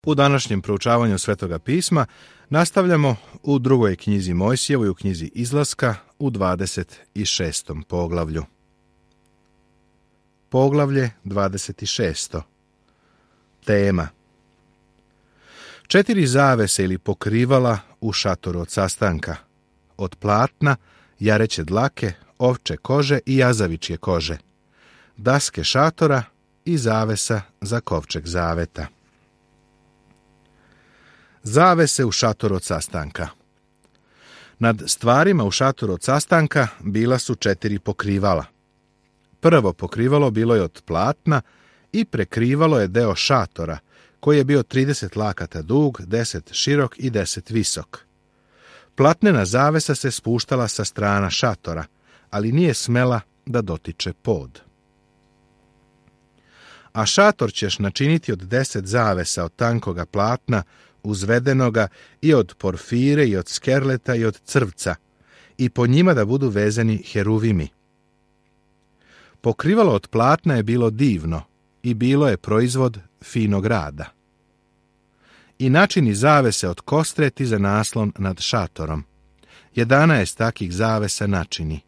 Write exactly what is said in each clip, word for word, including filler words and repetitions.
U današnjem proučavanju Svetoga pisma nastavljamo u drugoj knjizi Mojsijevoj, u knjizi Izlaska, u dvadeset šestom poglavlju. Poglavlje dvadeset šesto. Tema: Četiri zavese ili pokrivala u šatoru od sastanka, od platna, jareće dlake, ovče kože i jazavičje kože, daske šatora i zavesa za kovčeg zaveta. Zavese u šatoru od sastanka. Nad stvarima u šatoru od sastanka bila su četiri pokrivala. Prvo pokrivalo bilo je od platna i prekrivalo je deo šatora, koji je bio trideset lakata dug, deset širok i deset visok. Platnena zavesa se spuštala sa strana šatora, ali nije smela da dotiče pod. A šator ćeš načiniti od deset zavesa od tankoga platna, uzvedenoga i od porfire i od skerleta i od crvca, i po njima da budu vezani heruvimi. Pokrivalo od platna je bilo divno i bilo je proizvod finog rada. I načini zavese od kostreti za naslon nad šatorom. Jedanaest takih zavesa načini.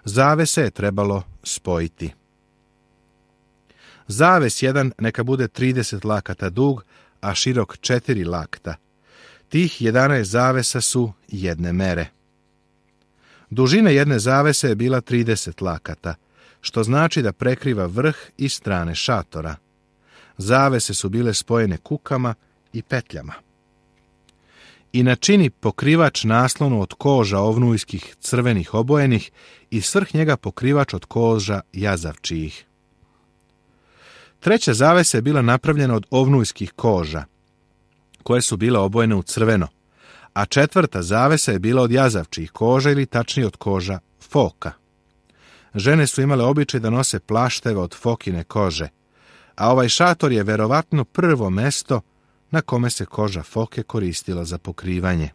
Zavese je trebalo spojiti. Zaves jedan neka bude trideset lakata dug, a širok četiri lakta. Tih jedanaest zavesa su jedne mere. Dužina jedne zavese je bila trideset lakata, što znači da prekriva vrh i strane šatora. Zavese su bile spojene kukama i petljama. I načini pokrivač naslonu od koža ovnujskih crvenih obojenih i svrh njega pokrivač od koža jazavčijih. Treća zavesa je bila napravljena od ovnujskih koža, koje su bile obojene u crveno, a četvrta zavesa je bila od jazavčijih koža ili tačnije od koža foka. Žene su imale običaj da nose plašteve od fokine kože, a ovaj šator je verovatno prvo mesto na kome se koža foke koristila za pokrivanje.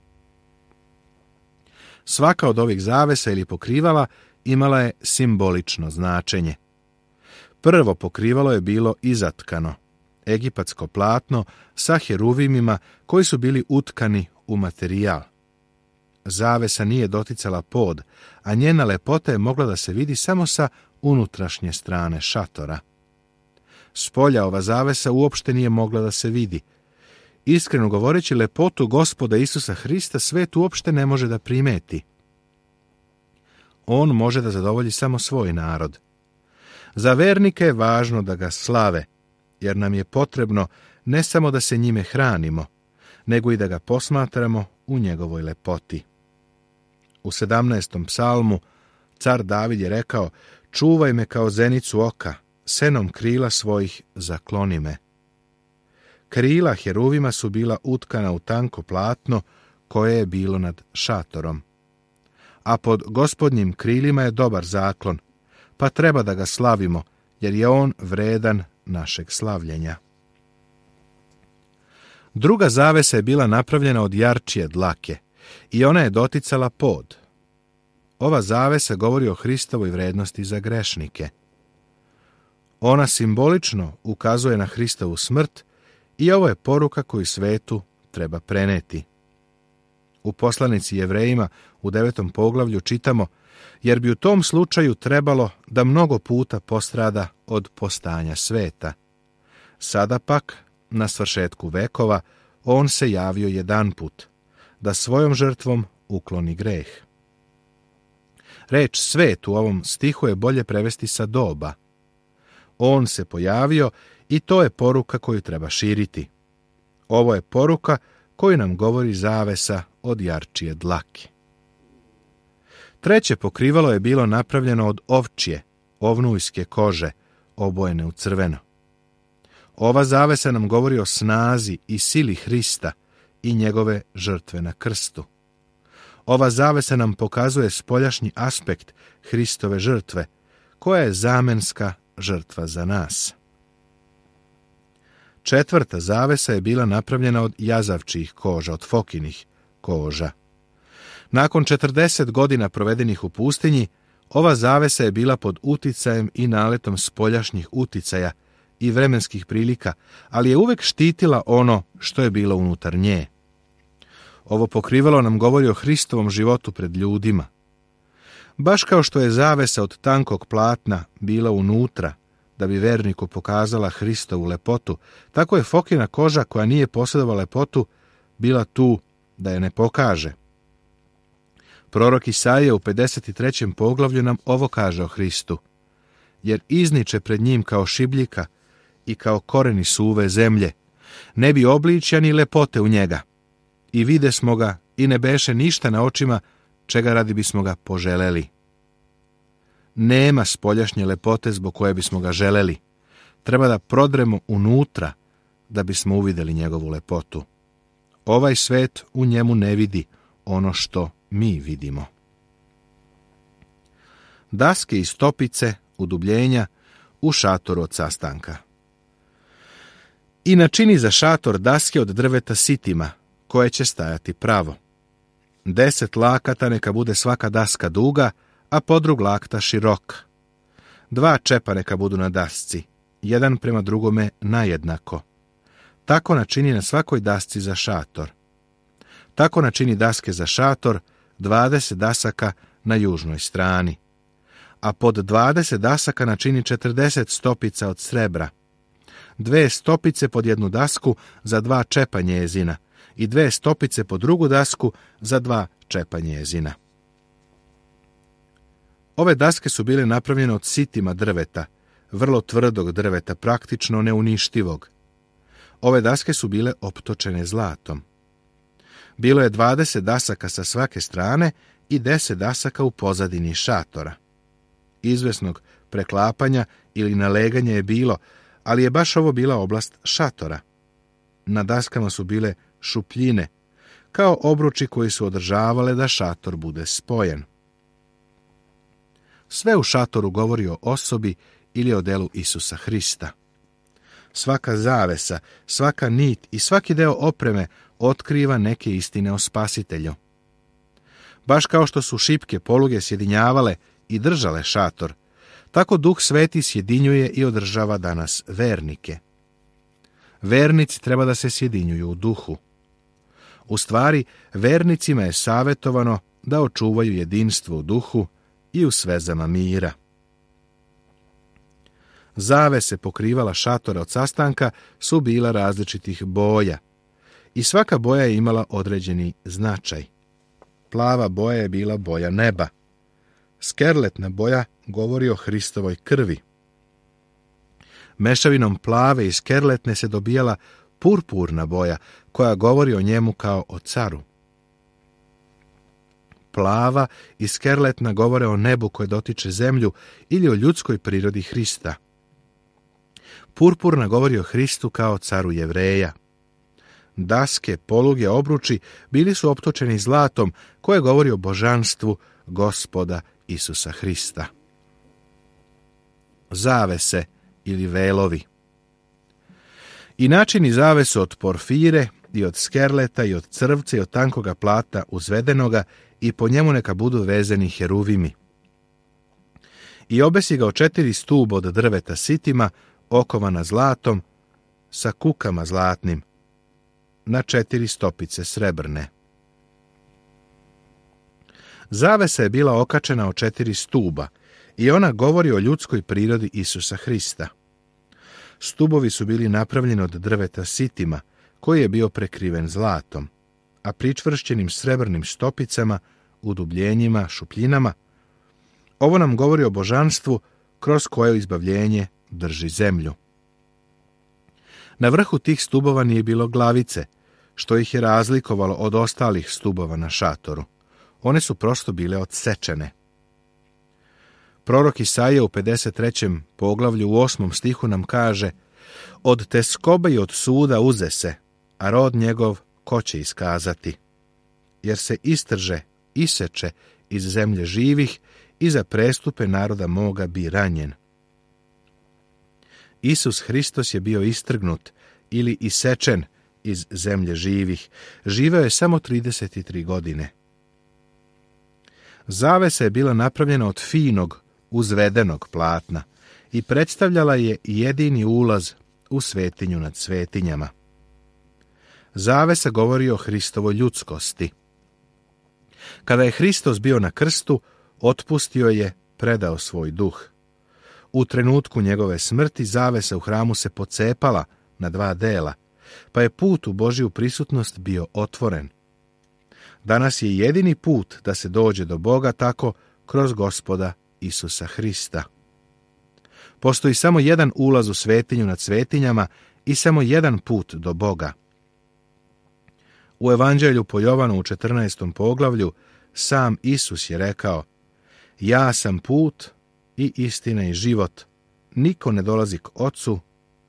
Svaka od ovih zavesa ili pokrivala imala je simbolično značenje. Prvo pokrivalo je bilo izatkano, egipatsko platno sa heruvimima koji su bili utkani u materijal. Zavesa nije doticala pod, a njena lepota je mogla da se vidi samo sa unutrašnje strane šatora. Spolja ova zavesa uopšte nije mogla da se vidi. Iskreno govoreći, lepotu Gospoda Isusa Hrista svet uopšte ne može da primeti. On može da zadovolji samo svoj narod. Za vernike je važno da ga slave, jer nam je potrebno ne samo da se njime hranimo, nego i da ga posmatramo u njegovoj lepoti. U sedamnaestom psalmu car David je rekao: čuvaj me kao zenicu oka, senom krila svojih zakloni me. Krila heruvima su bila utkana u tanko platno koje je bilo nad šatorom. A pod Gospodnjim krilima je dobar zaklon, pa treba da ga slavimo, jer je on vredan našeg slavljenja. Druga zavesa je bila napravljena od jarčije dlake i ona je doticala pod. Ova zavesa govori o Hristovoj vrednosti za grešnike. Ona simbolično ukazuje na Hristovu smrt i ovo je poruka koju svetu treba preneti. U poslanici Jevrejima u devetom poglavlju čitamo: jer bi u tom slučaju trebalo da mnogo puta postrada od postanja sveta. Sada pak, na svršetku vekova, on se javio jedanput, da svojom žrtvom ukloni greh. Reč svet u ovom stihu je bolje prevesti sa doba. On se pojavio i to je poruka koju treba širiti. Ovo je poruka koju nam govori zavesa od jarčije dlake. Treće pokrivalo je bilo napravljeno od ovčje, ovnujske kože, obojene u crveno. Ova zavesa nam govori o snazi i sili Hrista i njegove žrtve na krstu. Ova zavesa nam pokazuje spoljašnji aspekt Hristove žrtve, koja je zamenska žrtva za nas. Četvrta zavesa je bila napravljena od jazavčijih koža, od fokinih koža. Nakon četrdeset godina provedenih u pustinji, ova zavesa je bila pod uticajem i naletom spoljašnjih uticaja i vremenskih prilika, ali je uvek štitila ono što je bilo unutar nje. Ovo pokrivalo nam govori o Hristovom životu pred ljudima. Baš kao što je zavesa od tankog platna bila unutra, da bi verniku pokazala Hristovu lepotu, tako je Fokina koža koja nije posjedovala lepotu, bila tu da je ne pokaže. Prorok Isaija u pedeset trećem poglavlju nam ovo kaže o Hristu. Jer izniče pred njim kao šibljika i kao koreni suve zemlje, ne bi obličja ni lepote u njega. I vide smo ga i ne beše ništa na očima, čega radi bismo ga poželeli. Nema spoljašnje lepote zbog koje bismo ga želeli. Treba da prodremo unutra da bismo uvidjeli njegovu lepotu. Ovaj svet u njemu ne vidi ono što mi vidimo. Daske i stopice, udubljenja u šatoru od sastanka. I načini za šator daske od drveta sitima, koje će stajati pravo. Deset lakata neka bude svaka daska duga, a podrug lakta široka. Dva čepa neka budu na dasci, jedan prema drugome najednako. Tako načini na svakoj dasci za šator. Tako načini daske za šator, dvadeset dasaka na južnoj strani. A pod dvadeset dasaka načini četrdeset stopica od srebra. Dve stopice pod jednu dasku za dva čepa njezina i dve stopice pod drugu dasku za dva čepa njezina. Ove daske su bile napravljene od sitima drveta, vrlo tvrdog drveta, praktično neuništivog. Ove daske su bile optočene zlatom. Bilo je dvadeset dasaka sa svake strane i deset dasaka u pozadini šatora. Izvesnog preklapanja ili naleganja je bilo, ali je baš ovo bila oblast šatora. Na daskama su bile šupljine, kao obruči koji su održavale da šator bude spojen. Sve u šatoru govori o osobi ili o delu Isusa Hrista. Svaka zavesa, svaka nit i svaki deo opreme otkriva neke istine o Spasitelju. Baš kao što su šipke poluge sjedinjavale i držale šator, tako Duh Sveti sjedinjuje i održava danas vernike. Vernici treba da se sjedinjuju u duhu. U stvari, vernicima je savjetovano da očuvaju jedinstvo u duhu i u svezama mira. Zavese pokrivala šatora od sastanka su bila različitih boja i svaka boja je imala određeni značaj. Plava boja je bila boja neba. Skerletna boja govori o Hristovoj krvi. Mešavinom plave i skerletne se dobijala purpurna boja, koja govori o njemu kao o caru. Plava i skerletna govore o nebu koje dotiče zemlju ili o ljudskoj prirodi Hrista. Purpurna govori o Hristu kao caru Jevreja. Daske, poluge, obruči bili su optočeni zlatom koje govori o božanstvu Gospoda Isusa Hrista. Zavese ili velovi. I načini zavesu od porfire i od skerleta i od crvca i od tankoga plata uzvedenoga i po njemu neka budu vezeni heruvimi. I obesi ga od četiri stuba od drveta sitima, okovana zlatom, sa kukama zlatnim, na četiri stopice srebrne. Zavesa je bila okačena od četiri stuba i ona govori o ljudskoj prirodi Isusa Hrista. Stubovi su bili napravljeni od drveta sitima, koji je bio prekriven zlatom, a pričvršćenim srebrnim stopicama, udubljenjima, šupljinama. Ovo nam govori o božanstvu kroz koje izbavljenje drži zemlju. Na vrhu tih stubova nije bilo glavice, što ih je razlikovalo od ostalih stubova na šatoru. One su prosto bile odsečene. Prorok Isaija u pedeset trećem poglavlju u osmom stihu nam kaže: od teskobe i od suda uze se, a rod njegov ko će iskazati? Jer se istrže, iseče iz zemlje živih i za prestupe naroda moga bi ranjen. Isus Hristos je bio istrgnut ili isečen iz zemlje živih. Živeo je samo trideset tri godine. Zavesa je bila napravljena od finog, uzvedenog platna i predstavljala je jedini ulaz u svetinju nad svetinjama. Zavesa govori o Hristovoj ljudskosti. Kada je Hristos bio na krstu, otpustio je, predao svoj duh. U trenutku njegove smrti zavesa u hramu se pocepala na dva dela, pa je put u Božju prisutnost bio otvoren. Danas je jedini put da se dođe do Boga tako kroz Gospoda Isusa Hrista. Postoji samo jedan ulaz u svetinju nad svetinjama i samo jedan put do Boga. U Evanđelju po Jovanu u četrnaestom poglavlju sam Isus je rekao: ja sam put i istina i život. Niko ne dolazi k Ocu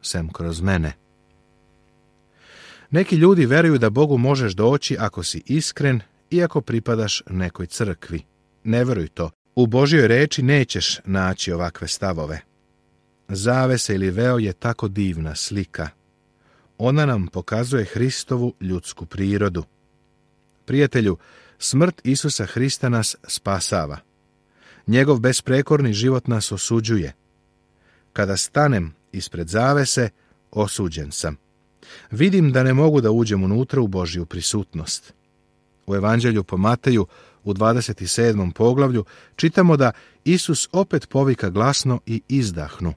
sem kroz mene. Neki ljudi veruju da Bogu možeš doći ako si iskren i ako pripadaš nekoj crkvi. Ne veruj to. U Božjoj reči nećeš naći ovakve stavove. Zavesa ili veo je tako divna slika. Ona nam pokazuje Hristovu ljudsku prirodu. Prijatelju, smrt Isusa Hrista nas spasava. Njegov besprekorni život nas osuđuje. Kada stanem ispred zavese, osuđen sam. Vidim da ne mogu da uđem unutra u Božju prisutnost. U Evanđelju po Mateju u dvadeset sedmom poglavlju čitamo da Isus opet povika glasno i izdahnu.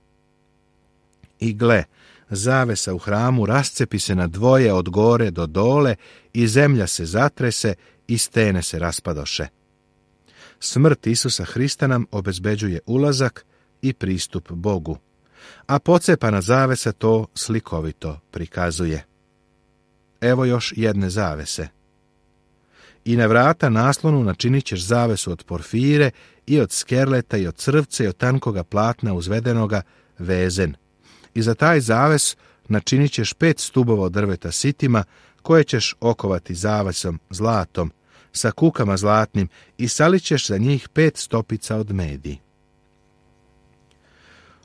I gle, zavesa u hramu rascepi se na dvoje od gore do dole i zemlja se zatrese i stene se raspadoše. Smrt Isusa Hrista nam obezbeđuje ulazak i pristup Bogu, a pocepana zavesa to slikovito prikazuje. Evo još jedne zavese. I na vrata naslonu načinit ćeš zavesu od porfire i od skerleta i od crvca i od tankoga platna uzvedenoga vezen. I za taj zaves načinit ćeš pet stubova od drveta sitima, koje ćeš okovati zavesom zlatom, sa kukama zlatnim, i salit ćeš za njih pet stopica od medi.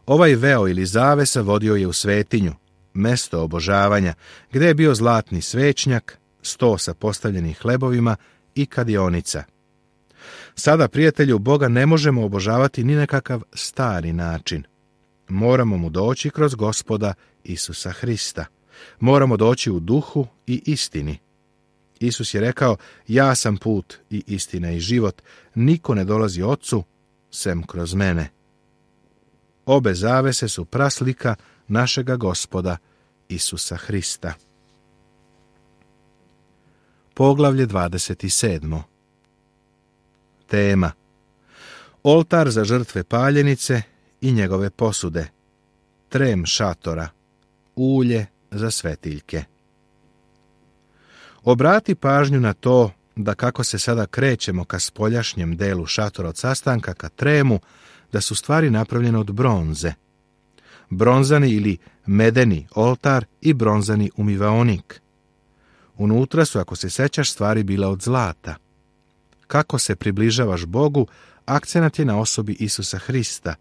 Ovaj veo ili zavesa vodio je u svetinju, mesto obožavanja, gdje je bio zlatni svećnjak, sto sa postavljenim hlebovima i kadionica. Sada, prijatelju, Boga ne možemo obožavati ni na kakav stari način. Moramo mu doći kroz Gospoda Isusa Hrista. Moramo doći u duhu i istini. Isus je rekao: ja sam put i istina i život. Niko ne dolazi Ocu sem kroz mene. Obe zavese su praslika našega Gospoda Isusa Hrista. Poglavlje dvadeset sedmo. Tema: oltar za žrtve paljenice i njegove posude, trem šatora, ulje za svetiljke. Obrati pažnju na to da kako se sada krećemo ka spoljašnjem delu šatora od sastanka ka tremu, da su stvari napravljene od bronze. Bronzani ili medeni oltar i bronzani umivaonik. Unutra su, ako se sećaš, stvari bile od zlata. Kako se približavaš Bogu, akcenat je na osobi Isusa Hrista.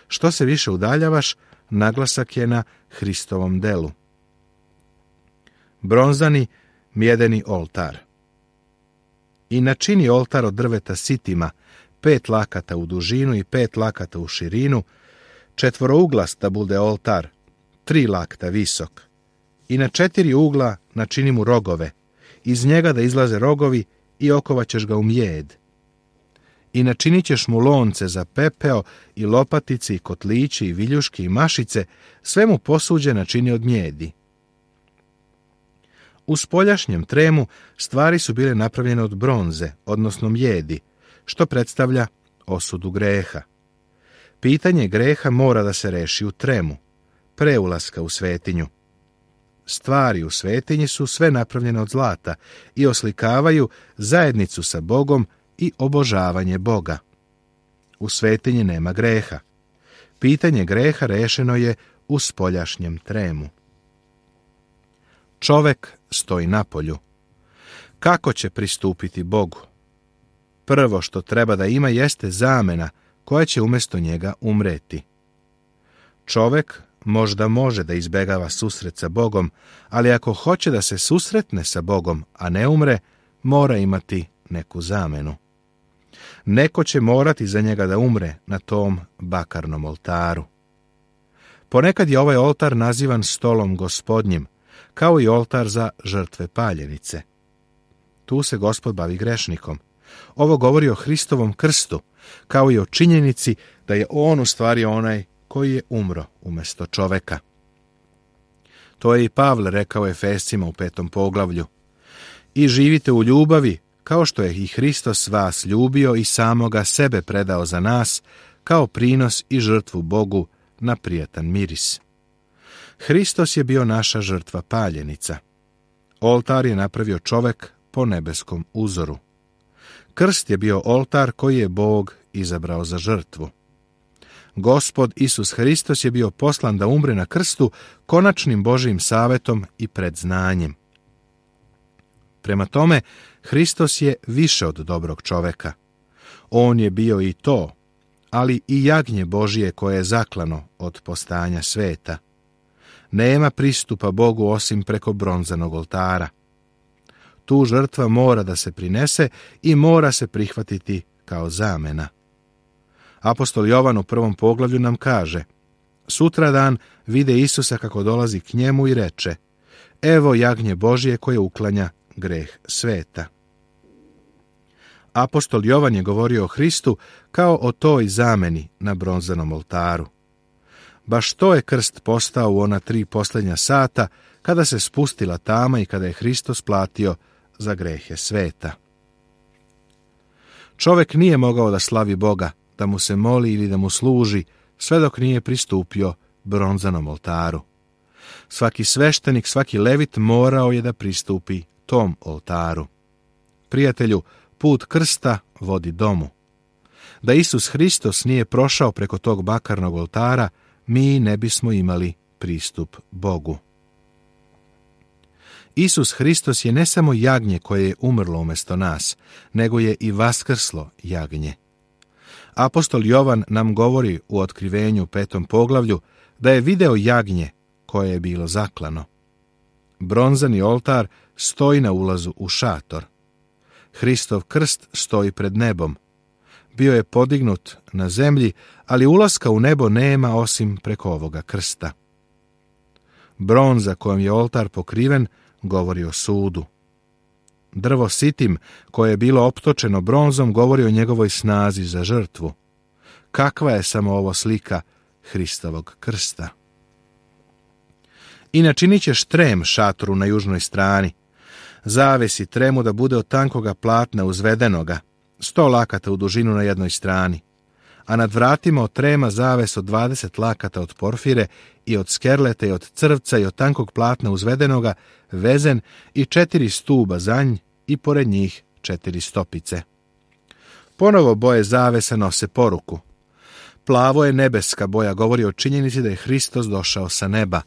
Što se više udaljavaš, naglasak je na Hristovom delu. Bronzani mjedeni oltar. I načini oltar od drveta sitima, pet lakata u dužinu i pet lakata u širinu, četvorouglas da bude oltar, tri lakta visok. I na četiri ugla načini mu rogove, iz njega da izlaze rogovi i okovaćeš ga u mjed. I načinit ćeš mu lonce za pepeo i lopatice i kotlići i viljuške i mašice, sve mu posuđe načini od mjedi. U spoljašnjem tremu stvari su bile napravljene od bronze, odnosno mjedi, što predstavlja osudu greha. Pitanje greha mora da se reši u tremu, pre ulaska u svetinju. Stvari u svetinji su sve napravljene od zlata i oslikavaju zajednicu sa Bogom i obožavanje Boga. U svetinji nema greha. Pitanje greha rešeno je u spoljašnjem tremu. Čovek stoji napolju. Kako će pristupiti Bogu? Prvo što treba da ima jeste zamena koja će umjesto njega umreti. Čovek možda može da izbegava susret sa Bogom, ali ako hoće da se susretne sa Bogom, a ne umre, mora imati neku zamenu. Neko će morati za njega da umre na tom bakarnom oltaru. Ponekad je ovaj oltar nazivan stolom Gospodnjim, kao i oltar za žrtve paljenice. Tu se Gospod bavi grešnikom. Ovo govori o Hristovom krstu, kao i o činjenici da je on u stvari onaj koji je umro umjesto čoveka. To je i Pavle rekao Efescima u petom poglavlju. I živite u ljubavi, kao što je i Hristos vas ljubio i samoga sebe predao za nas, kao prinos i žrtvu Bogu na prijatan miris. Hristos je bio naša žrtva paljenica. Oltar je napravio čovek po nebeskom uzoru. Krst je bio oltar koji je Bog izabrao za žrtvu. Gospod Isus Hristos je bio poslan da umre na krstu konačnim Božijim savetom i predznanjem. Prema tome, Hristos je više od dobrog čoveka. On je bio i to, ali i jagnje Božije koje je zaklano od postajanja sveta. Nema pristupa Bogu osim preko bronzanog oltara. Tu žrtva mora da se prinese i mora se prihvatiti kao zamena. Apostol Jovan u prvom poglavlju nam kaže: sutradan vide Isusa kako dolazi k njemu i reče: evo jagnje Božije koje uklanja greh sveta. Apostol Jovan je govorio o Hristu kao o toj zameni na bronzanom oltaru. Baš to je krst postao u ona tri posljednja sata, kada se spustila tama i kada je Hristos platio za grehe sveta. Čovek nije mogao da slavi Boga, da mu se moli ili da mu služi, sve dok nije pristupio bronzanom oltaru. Svaki sveštenik, svaki levit morao je da pristupi tom oltaru. Prijatelju, put krsta vodi domu. Da Isus Hristos nije prošao preko tog bakarnog oltara, mi ne bismo imali pristup Bogu. Isus Hristos je ne samo jagnje koje je umrlo umjesto nas, nego je i vaskrslo jagnje. Apostol Jovan nam govori u otkrivenju petom poglavlju da je video jagnje koje je bilo zaklano. Bronzani oltar stoji na ulazu u šator. Hristov krst stoji pred nebom. Bio je podignut na zemlji, ali ulaska u nebo nema osim preko ovoga krsta. Bronza kojom je oltar pokriven govori o sudu. Drvo sitim, koje je bilo optočeno bronzom, govori o njegovoj snazi za žrtvu. Kakva je samo ovo slika Hristovog krsta? I načinit ćeš trem šatoru na južnoj strani. Zavesi tremu da bude od tankoga platna uzvedenoga, sto lakata u dužinu na jednoj strani, a nad vratima od trema zaves od dvadeset lakata od porfire i od skerleta i od crvca i od tankog platna uzvedenoga, vezen i četiri stuba za nj i pored njih četiri stopice. Ponovo boje zavesa nose poruku. Plavo je nebeska boja, govori o činjenici da je Hristos došao sa neba.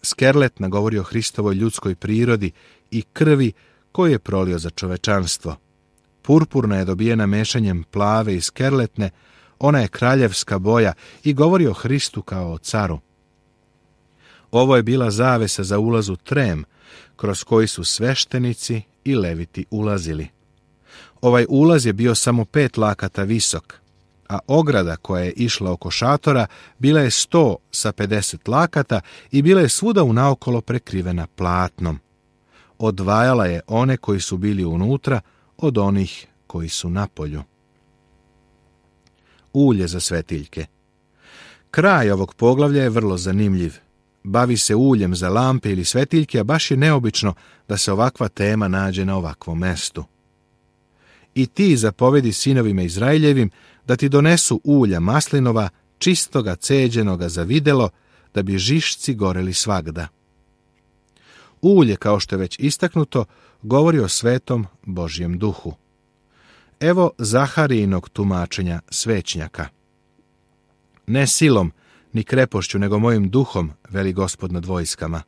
Skerletna govori o Hristovoj ljudskoj prirodi i krvi koju je prolio za čovečanstvo. Purpurna je dobijena mešanjem plave i skerletne, ona je kraljevska boja i govori o Hristu kao o caru. Ovo je bila zavesa za ulaz u trem, kroz koji su sveštenici i leviti ulazili. Ovaj ulaz je bio samo pet lakata visok, a ograda koja je išla oko šatora bila je sto sa pedeset lakata i bila je svuda unaokolo prekrivena platnom. Odvajala je one koji su bili unutra od onih koji su napolju. Ulje za svetiljke. Kraj ovog poglavlja je vrlo zanimljiv. Bavi se uljem za lampe ili svetiljke, a baš je neobično da se ovakva tema nađe na ovakvom mestu. I ti zapovedi sinovima Izraeljevim da ti donesu ulja maslinova, čistoga, ceđenoga za videlo, da bi žišci goreli svagda. Ulje, kao što je već istaknuto, govori o svetom Božjem duhu. Evo Zaharijinog tumačenja svećnjaka. Ne silom, ni krepošću, nego mojim duhom, veli Gospod nad vojskama.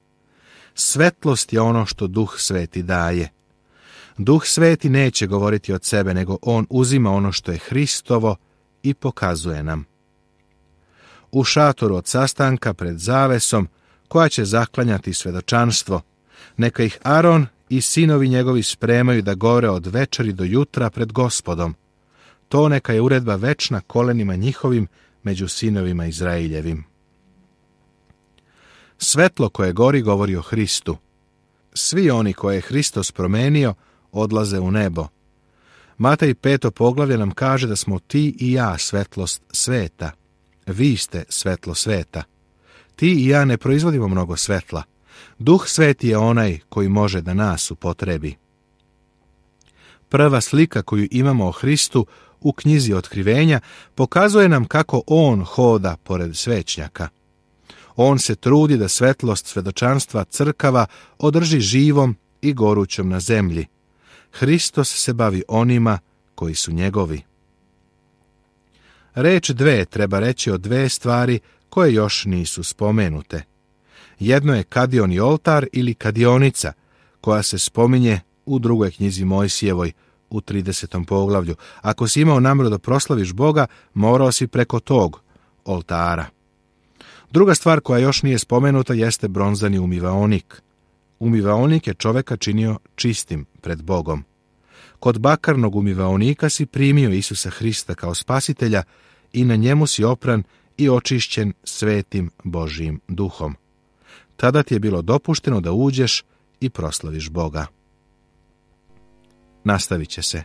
Svetlost je ono što Duh Sveti daje. Duh Sveti neće govoriti od sebe, nego on uzima ono što je Hristovo i pokazuje nam. U šatoru od sastanka pred zavesom, koja će zaklanjati svedočanstvo, neka ih Aron i sinovi njegovi spremaju da gore od večeri do jutra pred Gospodom. To neka je uredba večna kolenima njihovim među sinovima Izraeljevim. Svetlo koje gori govori o Hristu. Svi oni koje je Hristos promenio odlaze u nebo. Matej peto poglavlje nam kaže da smo ti i ja svetlost sveta. Vi ste svetlo sveta. Ti i ja ne proizvodimo mnogo svetla. Duh Sveti je onaj koji može da nas upotrebi. Prva slika koju imamo o Hristu u knjizi Otkrivenja pokazuje nam kako on hoda pored svećnjaka. On se trudi da svetlost svedočanstva crkava održi živom i gorućom na zemlji. Hristos se bavi onima koji su njegovi. Reč dve treba reći o dve stvari koje još nisu spomenute. Jedno je kadioni oltar ili kadionica, koja se spominje u drugoj knjizi Mojsijevoj u tridesetom poglavlju. Ako si imao namjeru da proslaviš Boga, morao si preko tog oltara. Druga stvar koja još nije spomenuta jeste bronzani umivaonik. Umivaonik je čoveka činio čistim pred Bogom. Kod bakarnog umivaonika si primio Isusa Hrista kao spasitelja i na njemu si opran i očišćen svetim Božjim duhom. Tada ti je bilo dopušteno da uđeš i proslaviš Boga. Nastavit će se.